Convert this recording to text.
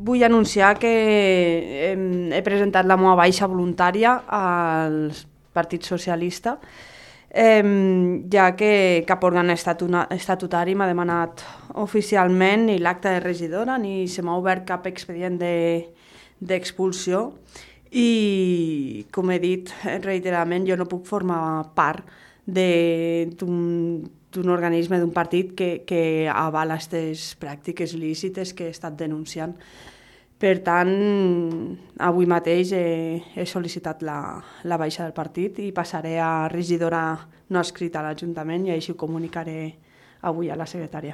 vull anunciar que he presentat la meva baixa voluntària al Partit Socialista, ja que cap òrgan estatutari m'ha demanat oficialment ni l'acta de regidora ni se m'ha obert cap expedient d'expulsió i, com he dit reiteradament, jo no puc formar part d'un organisme, d'un partit que avala aquestes pràctiques il·lícites que he estat denunciant. Per tant, avui mateix he sol·licitat la baixa del partit i passaré a regidora no escrita a l'Ajuntament i així ho comunicaré avui a la secretària.